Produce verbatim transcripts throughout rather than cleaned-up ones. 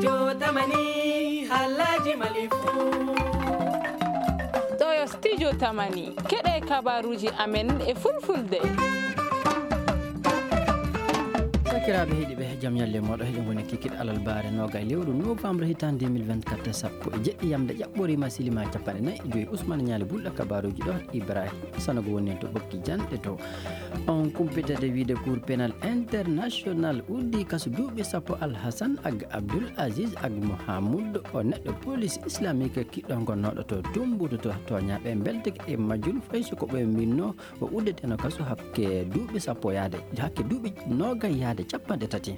Studio Tamani, haalaaji Mali fuu. Ɗoo yo Studio Tamani, keɗee kabaaruuji amen e Fulfulde. Sakiraaɓe heɗiiɓe, jam ñalle mooɗon. Hiɗen woni kikiiɗe alarbaare noogay lewru novembre hitaande deux mille vingt-quatre, sappo e jeɗɗi yamnde ƴaɓɓooriima, siliima capanɗe nayi e joy. Usmaan Ñaali Bulɗo kabaaruuji ɗoo, Ibrahim Sanogo woni en to ɓokki janɗe to. On kumpitete wiide Cour pénal international uddii kasu duuɓi sappo Alhasan Ag Abdul Aziz Ag Mohamud, o neɗɗo police islamique kiɗɗo gonnooɗo to Tumbutu to. Tooñaaɓe mbeltike e majjum fay so ko ɓe minnoo o uddeteno kasu hakke duuɓi sappo yaade, hakke duuɓi noogay yaade capanɗe tati.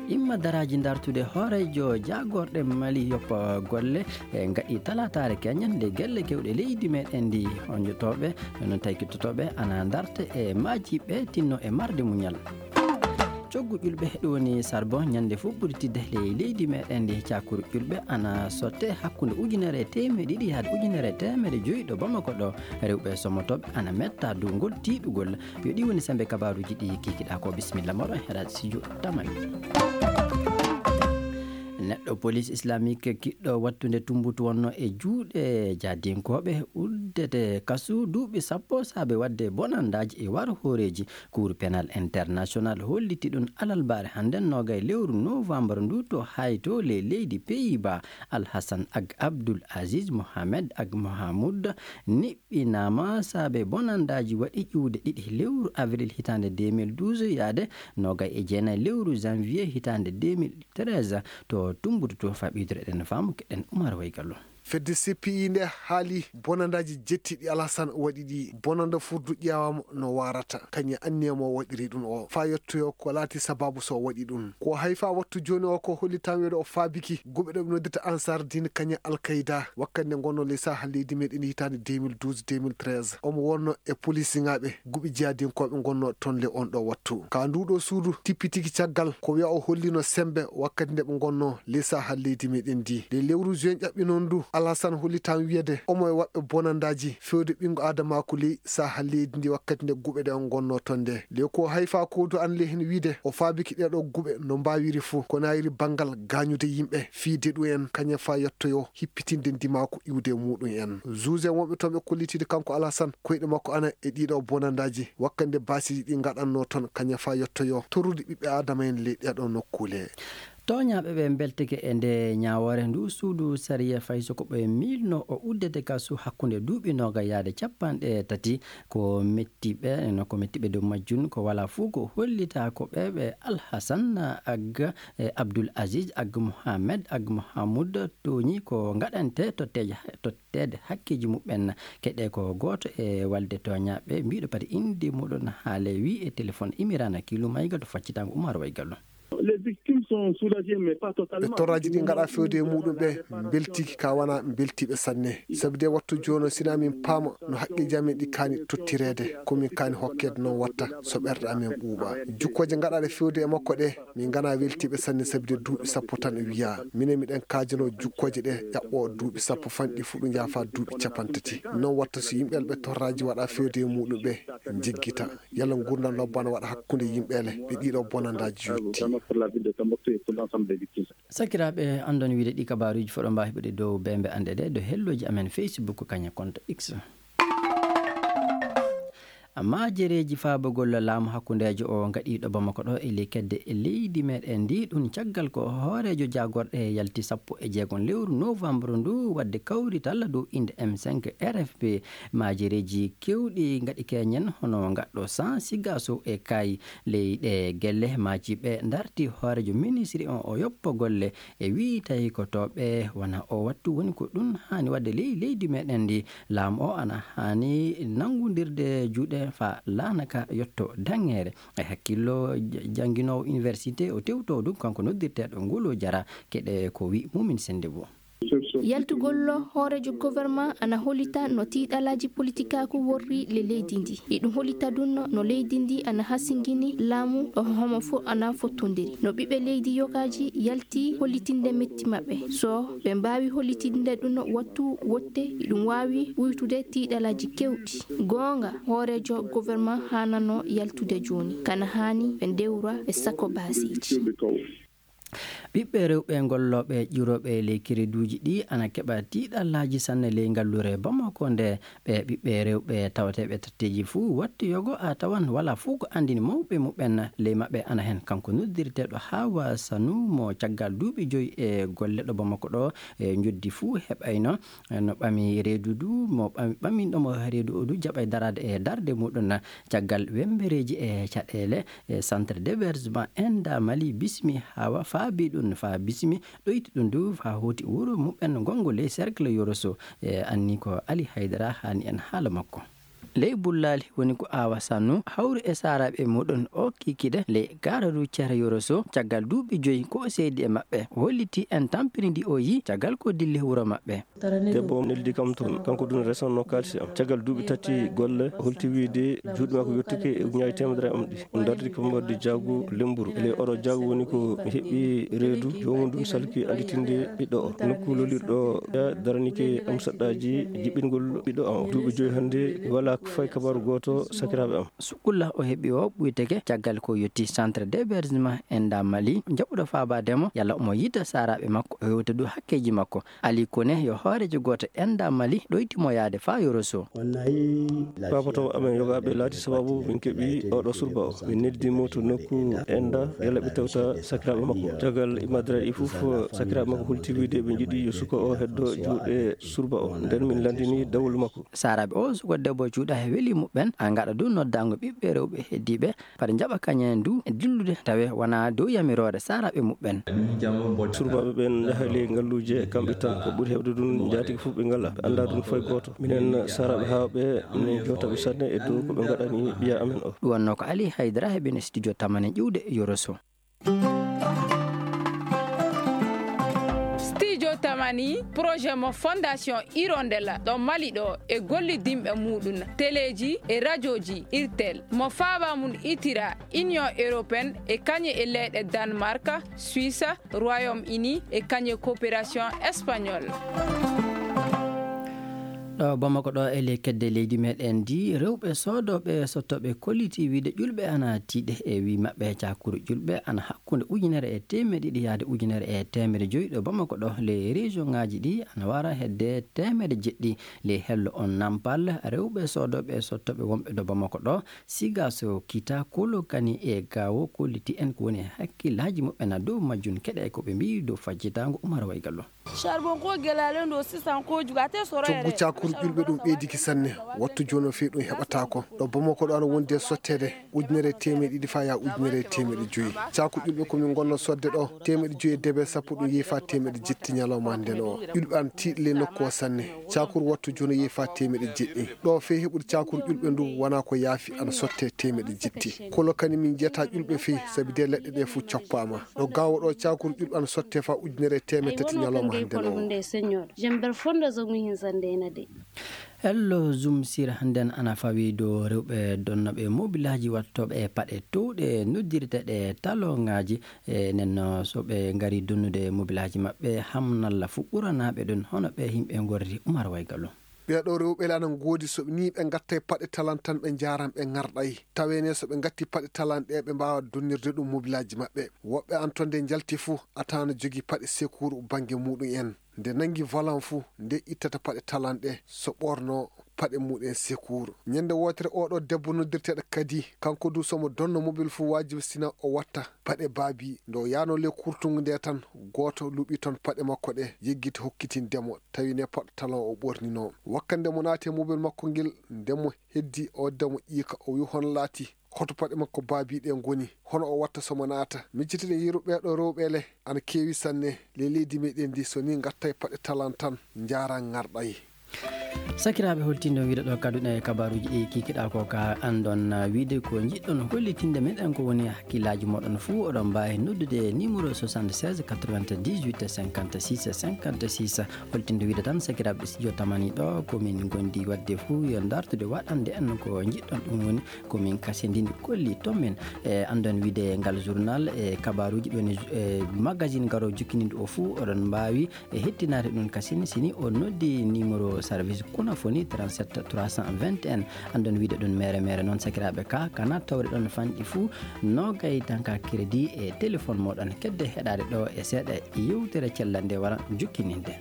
Imma daraaji dartude hooreejo jaagorɗe Mali yoppa golle e ngaɗi talaataare keñen nde gelle kewɗe leydi meɗen ndi honjotooɓe, no taykitotooɓe ana darta e maaji ɓe tinno e marde muñal. Coggu ƴulɓe ɗum woni charbon ñande fof ɓuri tidde ley leydi meɗen ndi. Cakuru ƴulɓe ana sotte hakkunde ujunere e teemeɗe ɗiɗi yaade ujunere e teemeɗe joyi ɗo Bamako ɗo. Rewɓe somotooɓe ana metta dow ngol tiiɗugol. Yo ɗi woni sembe kabaaruuji ɗi kikiɗaa ko. Bisimilla mooɗon hera studio Tamani. Neɗɗo police islamique kiɗɗo wattude Tumbutu wonno e juuɗe jaadinkooɓe uddete kasu duuɓi sappo saabe waɗde bonandaaji e war hooreeji. Cour pénal international holliti ɗum alarbaare hannden noogay lewru novembre ndu to Haay to ley leydi Pays-Bas. Alhasan Ag Abdul Aziz Mohamed Ag Mohamud ni ɓinaama saabe bonandaaji waɗi ƴiwde ɗiɗi lewru avril hitaande deux mille douze yaade noogay e jeenayi lewru janvier hitaande deux mille treize to Tumbutu to. Faa ɓeydude eɗen faamu keɗen Umar Waygallo. Fedde C P I nde haali bonandaaji jettiɗi Alhasan waɗi ɗi. Bonanda furdu ƴeewaama no waarata kañum anniya mo waɗiri ɗum o faa yettoyoo ko laati sabaabu so waɗi ɗum. Ko hay faa wattu jooni o ko hollitaama wiyeede o faabiki guɓe ɗo ɓe noddirta Ansar Dine kañum Al Qaida wakkati nde ngonnoo ley saaha leydi meɗen hitaande deux mille douze deux mille treize. Omo wonnoo e polisiŋaaɓe guɓe jihaadinkooɓe ngonnoo toon ley oon ɗoo wattu. Ka nduu ɗoo suudu tippitiki caggal ko wiya o hollino semmbe wakkati nde ɓe ngonnoo ley saaha leydi meɗen ndii. Ley lewru juin ƴaɓɓinoo ndu Alhasan hollitaama wiyeede omo e waɗɓe bonandaaji fewde ɓinngo aadamaaku ley saaha leydi ndii wakkati nde guɓe ɗe o ngonnoo toon nde. Ley ko hay faa koodu an ley heen wiide o faabiki ɗee ɗoo guɓe no mbaawiri fuu ko naayiri banngal gaañude yimɓe fii deɗu en kañum faa yettoyoo hippitinde ndimaaku iwde e muuɗum en. Juge en wonɓe toon ɓe kollitiide kanko Alhasan koyɗe makko ana e ɗii ɗoo bonandaaji wakkati nde baasiiji ɗi ngaɗannoo toon kañum faa yettoyoo torrude ɓiɓɓe aadama en ley ɗee ɗoo nokkuule. Tooñaaɓe ɓe mbeltike e ndee ñaawoore nduu suudu sariya fay so ko ɓe miilnoo o uddete kasu hakkunde duuɓi noogay yaade capanɗe tati. Ko metti ɓe, no ko metti ɓe dow majjum ko walaa fuu ko hollitaa ko ɓe, ɓe Alhasan Ag e Abdul Aziz Ag Mohamed Ag Mohamud tooñi ko ngaɗante totteeje, totteede hakkeeji muɓɓen. Keɗee ko gooto e walde tooñaaɓe mbiiɗo pati innde muuɗum haale wii e telefon Imiraana Kiilu Mayga to faccitaango Umar Waygallo. Les victimes sont soulagées, mais pas totalement. Ɓe torraaji ɗi ngaɗaa fewde e muuɗum ɓe mbeltiiki ka wanaa mbeltiiɓe sanne. Sabi de wattu jooni o, sinaa min paama no haqqeeji amen ɗi kaani tottireede, ko min kaani hokkeede noon watta so ɓerɗe amen ɓuuɓa. Jukkooje ngaɗaaɗe fewde e makko ɗe, min nganaa weltiiɓe sanne sabi de duuɓi sappo tan wiyaa. Minen miɗen kaajanoo jukkooje ɗe ƴaɓɓoo duuɓi sappo fanɗi fuu ɗum yaha faa duuɓi capanɗe tati. Noon watta so yimɓe ɓe torraaji waɗaa fewde e muuɗum ɓe njiggita. Yalla nguurndam lobbo ana waɗa hakkunde yimɓe ele ɓe ɗiɗo bonandaaji yotti. Sakiraaɓe, anndon wiide ɗi kabaaruuji foɗo mbaa heɓude dow beembe anɗe ɗe dow hellooji amen Facebook kañe compte X. Maajereeji faabugol laamu hakkundeejo o ngaɗiiɗo Bamako ɗo e ley kedde e leydi meɗen ndi, ɗum caggal ko hooreejo jaagorɗe yalti sappo e jeegom lewru novembre ndu waɗde kawrital dow innde M cinq R F P. Maajereeji keewɗi ngaɗi keñen hono ngaɗɗo San Sigaso e Kaayi. Ley ɗee gelle maaji ɓe ndarti hooreejo ministri on o yoppa golle e wii tawi ko to ɓe wona o wattu woni ko ɗum haani waɗde ley leydi meɗen ndi. Laamu o ana haani nanngundirde juuɗe faa laana ka yotto daŋŋeere. E hakkillo j-, jannginoowo université o tewtoo ɗum kanko noddirteeɗo Ngolo Jara keɗe ko wii Mumin Sennde Bo. Yaltugol hooreejo governement ana hollita no tiiɗalaaji politikaaku worri le leydi ndi. Iɗum hollita ɗum no, no leydi ndi ana hasingini laamu ɗo homo fof ana fottondiri. No ɓiɓɓe leydi yogaaji yalti hollitinde metti maɓɓe. So ɓe mbaawi hollitinde ɗum wattu wotte, iɗum waawi ɓuytude tiiɗalaaji keewɗi. Goonga, hooreejo governement haanano yaltude jooni. Kana haani ɓe ndewra ɓe sako baaseeji. Ɓiɓɓe rewɓe gollooɓe ƴiwrooɓe ley kereduuji ɗii ana keɓa tiiɗallaaji sanne ley ngalluure Bamako ndee. Ɓee ɓiɓɓe rewɓe tawateeɓe tatteeji fuu, wattu yogo a tawan walaa fuu ko anndini mawɓe muɓɓen. Ley maɓɓe ana hen kanko noddirteeɗo Hawa Sanu mo caggal duuɓi joy e golle ɗo Bamako ɗoo, e njoddi fuu heɓayno. No ɓami reedu duu, mo ɓami ɓaminɗo mo reedu oo duu jaɓay daraade e darnde muuɗum caggal wemmbereeji e caɗeele. E centre d'hébergement Enda Mali bismi Hawa, faabii ɗum faa bismi, ɗoyti ɗum duu faa hooti wuro muɓɓen ngongo ley cercle Yoroso. E anni ko Ali Haydara haani en haala makko. Ley bullaali woni ko Awa Sannu hawri e saaraaɓe muuɗum oo kiikiiɗe ley gaara routière Yoroso caggal duuɓi joy ko o seedi e maɓɓe. Holliti en tampindi ndi o yii caggal ko dilli wuro maɓɓe. Debbo o neldi kam toon, kanko dun resannoo kaalisi am. Caggal duuɓi tati golle, o holti wiide juuɗe makko yottike e ujunnaaji teemedere am ɗi. O dardi ko mbaɗdi jaagu lemmburu. E ley oɗo jaagu woni ko mi heɓi reedu joomum dun salki annditinde ɓiɗɗo o. Nokku lolirɗo o, ya daranike am saɗɗaaji jiɓɓingol ɓiɗɗo am o. Duuɓi joyi hannde, mi walaa fay kabaaru gooto sakiraaɓe am. Sukulla o heɓi o ɓuyteke caggal ko yotti centre d'hébergement Enda Mali, jaɓuɗo faabaade mo yalla omo yiɗa saaraaɓe makko, o hewta duu hakkeeji makko. Ali Kone yo hooreejo gooto Enda Mali ɗoyti mo yaade faa Yoroso. Paapotooɓe amen yogaaɓe laati sababu min keɓi oɗo surba o. Min neldi mo to nokku Enda yalla ɓe tewta sakiraaɓe makko. Caggal immaade ɗi fof, sakiraaɓe makko holti wiide ɓe njiɗi yo suka o heddo juuɗe surba o. Nden min lanndini dawol makko. Saaraaɓe oo suka debbo cuuɗa he weli muɓɓen, a ngaɗa duu noddaango ɓiɓɓe rewɓe heddiiɓe. Fade njaɓa kañen duu e dillude, tawe wanaa dow yamiroore saaraaɓe muɓɓen. Surbaaɓe ɓen njaha ley ngalluuje kamɓe tan. Ko ɓuri heewde dun, njaatigi fof ɓe ngalaa. Ɓe anndaa dun fay gooto. Minen saaraaɓe haawɓe, minen jootaɓe sanne e dow ko ɓe ngaɗani ɓiya amen o. Ɗum wonnoo ko Ali Haydara heɓen e studio Tamani ƴiwde Yoroso. Studio Tamani, projet mo Fondation Hirondelle ɗo Mali ɗo e gollidinɓe muuɗum, teleeji e rajooji Irtel, mo faaba mum itira Union Européenne e kañe e leyɗe Danemark, Suisse, Royaume-Uni e kañe Coopération Espagnole. Ɗo Bamako ɗo e ley kedde leydi meɗen ndi, rewɓe soodooɓe e sottooɓe kolliti wiide ƴulɓe ana tiiɗe e wii maɓɓe cakuru ƴulɓe ana hakkunde ujunere e teemeɗɗe ɗiɗi yaade ujunere e teemeɗɗe joyi ɗo Bamako ɗo. Ley région ŋaaji ɗi ana wara hedde teemeɗɗe jeɗɗi. Ley hello on Nampal, rewɓe soodooɓe e sottooɓe wonɓe ɗo Bamako ɗo, Sigaso, Kita, Kolokani e Gawo kolliti en ko woni hakkillaaji muɓɓen dow majjum. Keɗe ko ɓe mbii dow fajjitaango Umar Waygallo. Charbon ko gelaale ɗo sisan ko jugate soro. Coggu cakuru ƴulɓe ɗum ɓeydiki sanne. Wattu jooni o fii ɗum heɓataako. Ɗo Bamako ɗo ana wondi e sotteede ujunere e teemeɗɗe ɗiɗi faa yaa ujunere e teemeɗɗe joyi. Cakuru ƴulɓe ko min ngonnoo sodde ɗo, teemeɗɗe joyi e debe sappo ɗum yehi faa teemeɗɗe jetti ñalawma hannde o. Ƴulɓe ana tiiɗi ley nokku o sanne. Cakuru wattu jooni o yehi faa teemeɗɗe jeɗɗi. Ɗo fee heɓude cakuru ƴulɓe ndu wonaa ko yaafi, ana sottee teemeɗɗe jetti. Kolokani min njiyataa ƴulɓe fee, sabi dee leɗɗe ɗee fof coppaama. Ɗo Gawo ɗo cakuru ƴulɓe ana sottee faa ujunere e teemeɗɗe tati ñalawma hannde o. Hello Zoom Sir, hannden ana fawii dow rewɓe donnooɓe mobilaaji wattooɓe e paɗe towɗe noddirteeɗe talongaaji. E nden non, so ɓe ngarii donnude mobilaaji maɓɓe, hamnalla fuu ɓuranaa ɓe ɗum. Hono ɓee yimɓe ngorri? Umar Waygallo. Ɓee ɗoo rewɓe le ana ngoodi, so ɓe nii ɓe ngattay paɗe talan tan, ɓe njaaran, ɓe ŋarɗay. Tawee ne, so ɓe ngattii paɗe talan ɗee, ɓe mbaawaa donnirde ɗum mobilaaji maɓɓe. Woɓɓe ana ton, nde njalti fuu, a tawan ana jogii paɗe sekuuru bannge muuɗum en. Nde nanngi volan fuu, nde ittata paɗe talan ɗee, so ɓoornoo paɗe muuɗum en sekuuru. Ñannde wootere, oo ɗoo debbo noddirteeɗo Kadi, kanko duu, so omo donnoo mobil fuu, waajibi sina o watta paɗe baabii. Nde o yahnoo ley kurtungu ndee tan, gooto luɓii ton paɗe makko ɗee, yeggiti hokkitinde mo, tawi ne paɗe talan o ɓoorninoo. Wakkati nde mo naati e mobil makko ngel, nde mo heddii oo debbo ƴiika, o wii: "Hono laatii? Hoto paɗe makko baabii ɗee ngoni? Hono o watta so mo naata?" Miccitiiɗen yeru, ɓee ɗoo rewɓe le ana keewi sanne ley leydi meɗen ndi, so nii ngattay paɗe talan tan, njaaran ŋarɗay. Sakiraaɓe, holtindo wiide ɗo kadduɗen e kabaaruuji ɗi kikiɗaa ko ka anndon, ah, wiide ko njiɗɗon hollitinde meɗen ko woni hakkillaaji mooɗon fuu, oɗon mbaawi noddude numéro soixante-seize quatre-vingt-dix-huit cinquante-six cinquante-six. Holtindo wiide tan, sakiraaɓe studio Tamani ɗo, ko min ngondi waɗde fuu yo ndartude waɗande en ko njiɗɗon, ɗum woni ko min kasindini kolli ton men. E anndon wiide ngal journal e kabaaruuji ɗi woni, e magazine garoo jokkininde o fuu, oɗon mbaawi e hettinaade ɗum kasin, si nii o noddi numéro service Kuna foni trente-sept trois cent vingt et un. Anndon wiide ɗon mere mere noon sakiraaɓe ka, kana tawde ɗon fanɗi fuu, noogay tanka crédit e téléphone mooɗon. Kedde heɗaade ɗo e seeɗa yewtere cellal nde wara jukkininde.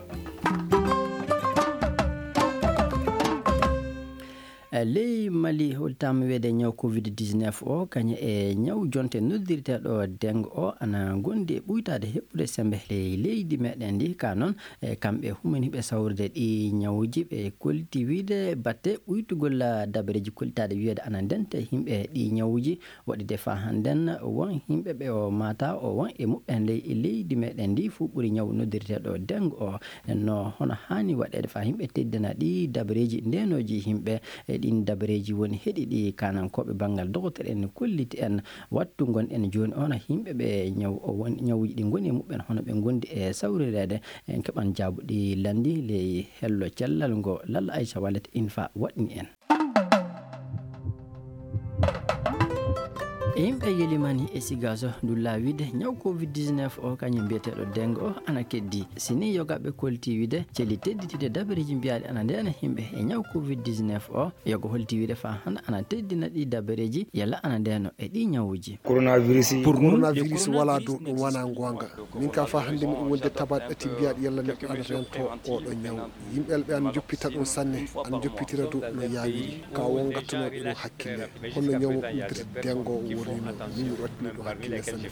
E ley Mali, holtaama wiyeede ñaw covid dix-neuf o, kañum e ñaw jonte noddirteeɗo dengue o, ana ngondi e ɓuytaade heɓude sembe ley leydi meɗen ndi. Ka noon, e kamɓe humini ɓe sawrude ɗi ñawuuji, ɓe kolti wiide batte ɓuytugol dabareeji kollitaaɗe wiyeede ana ndenta e yimɓe ɗi ñawuuji. Waɗi de faa hannden won yimɓe ɓe o maata o won e muɓɓen ley e leydi meɗen ndi fuu ɓuri ñaw noddirteeɗo dengue o. No hono haani waɗeede faa yimɓe teddina ɗi dabareeji ndeenooji yimɓe. E ɗin dabareeji woni heɗi ɗi kaanankooɓe banngal dogotere en kolliti en. Wattu ngonɗen jooni o, hono yimɓe ɓe ñaw o won, ñawuuji ɗi ngoni e muɓɓen, hono ɓe ngondi e sawrireede. En keɓan jaabuɗi lanndi ley hello cellal ngo Lalla Aysa Wallet Infa waɗni en. E yimɓe yelimani e Sigaaso ndu laawiide ñaw covid dix-neuf o, kañum mbiyeteeɗo dengue o, ana keddi. Si nii yogaɓe kolti wiide celi tedditiiɗe dabareeji mbiyaaɗi ana ndeena yimɓe e ñaw covid dix-neuf o, yoga holti wiide faa hannde ana teddina ɗi dabareeji, yalla ana ndeeno e ɗi ñawuuji. Coronavirus. Pour nous, coronavirus walaa dow ɗum wanaa ngoonga. Min ka faa hannde miɗo wonde tabaat ɗati mbiyaaɗi yalla neɗɗo ana reento oo ɗoo ñaw. Yimɓe ɓe ana njoppita ɗum sanne, ana njoppitira dow no yaawiri. Ka won ngattunooɓe ɗum hakkille. Honno ñaw mo ɓe noddirta dengue o worrino, min miɗo wattini ɗum hakkille sanne.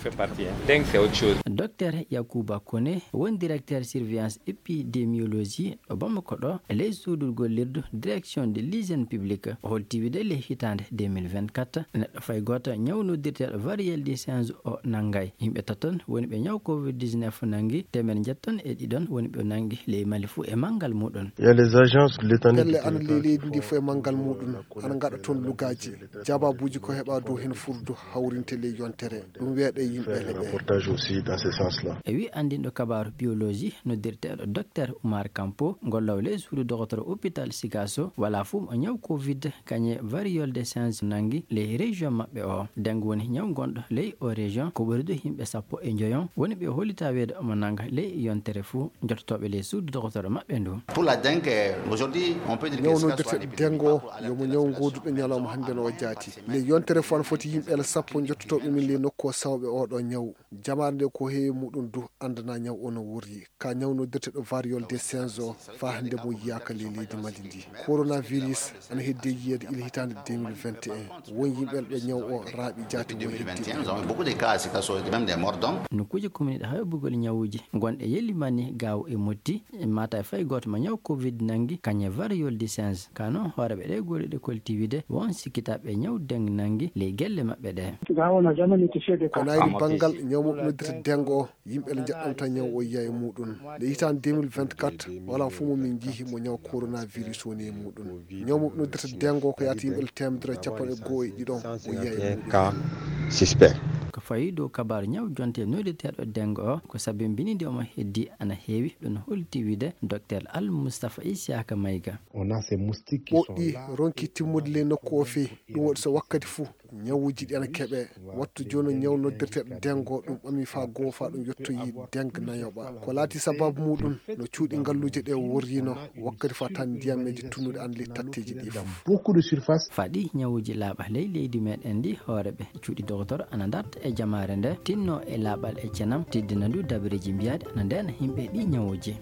Dengue, c'est autre chose. Docteur Yakuba Kone, woni directeur surveillance épidémiologie ɗo Bamako ɗo, e ley suudu gollirdu direction de l'hygiène publique, o holti wiide ley hitaande deux mille vingt-quatre, neɗɗo fay gooto ñaw noddirteeɗo variole du singe o nanngay. Yimɓe taton woni ɓe ñaw covid dix-neuf nanngi, teemeɗe njeeto e ɗiɗon woni ɓe nanngi ley Mali fuu e manngal muuɗum. Il y a les agences de l'État. Pelle ana ley leydi ndi fof e manngal muuɗum, ana ngaɗa toon lugaaji. Jabaabuuji ko heɓa dow heen fuu du hawrinte ley yontere. Ɗum weeɗa e yimɓe. Faire un reportage aussi dans ce sens-là. E wii anndinɗo kabaaru biologie noddirteeɗo Docteur Oumar Kampo, golloowo ley suudu dogotoro hôpital Sigasso, walaa fuu mo ñaw covid kañe variole du singe nanngi ley région maɓɓe o. Dengue woni ñaw gonɗo ley o région, ko ɓuri du yimɓe sappo e njoyon woni ɓe hollitaa wiyeede omo nannga ley yontere fuu. Jottotooɓe ley suudu dogotoro maɓɓe ndu. Pour la dengue, aujourd'hui, on peut dire que ñaw noddirteeɗo dengue o, yomo ñaw ngooduɗo ñalawma hannde no o jaati. Ley yontere fof ana foti yimɓe sappo jottotooɓe min ley nokku o sawɓe oo ɗoo ñaw. Jamaare nde ko heewi muuɗum du anndanaa ñaw o no worri. Ka ñaw noddirteeɗo variole du singe o, faa hannde mo yiyaaka ley leydi Mali ndi. Coronavirus ana heddi e yiyeede ila hitaande deux mille vingt et un. Won yimɓe ɓe ñaw o raaɓi jaati mo heddi. Nous avons eu beaucoup de cas à Sikasso, même des morts d'hommes. Nokkuuje kuminiiɗe haybugol ñawuuji gonɗe Yelimani, Gaawo e Motti, maata e fay gooto mo ñaw covid nanngi, kañe variole du singe. Ka noon, hooreeɓe ɗee golle ɗe kolti wiide won sikkitaaɓe ñaw dengue nanngi ley gelle maɓɓe ɗee. Gaawo na jamani to seede ka. Ko naayri banngal ñaw mo noddirta dengue o, yimɓe le njaɗɗanta ñaw o yiya e muuɗum. Nde hitaande deux mille vingt-quatre, walaa fof mo min njiyi mo ñaw coronavirus woni e muuɗum. Ñaw mo noddirta dengue o ko yaata yimɓe le teemedere e cappanɗe goo e ɗiɗon o yiya e muuɗum. Cas suspect. Ko fawi dow kabaaru ñaw jonte noddirteeɗo dengue o, ko sabimbini nde omo heddi ana heewi, ɗum holti wiide Docteur Al Mustafa Isiyaka Mayga. On a ces moustiques qui sont là. Ɓoɗɗi ronki timmude ley nokku o fii, ɗum waɗi so wakkati fuu ñawuuji ɗi ana keɓee. Wattu jooni o ñaw noddirteeɗo dengue o, ɗum ɓami faa goo faa ɗum yottoyi dengue nayoɓa. Ko laati sabaabu muuɗum no cuuɗi ngalluuje ɗee worrino wakkati faa tan ndiyameeje tunnuɗe ana ley tatteeji ɗii fof. Beaucoup de surface. Faa ɗii ñawuuji laaɓa ley leydi meɗen ndi, hooreeɓe cuuɗi dogotoro ana ndarta e jamaare nde, tinno e laaɓal e cenam, teddina ndu dabareeji mbiyaaɗi ana ndeena yimɓe ɗii ñawuuji.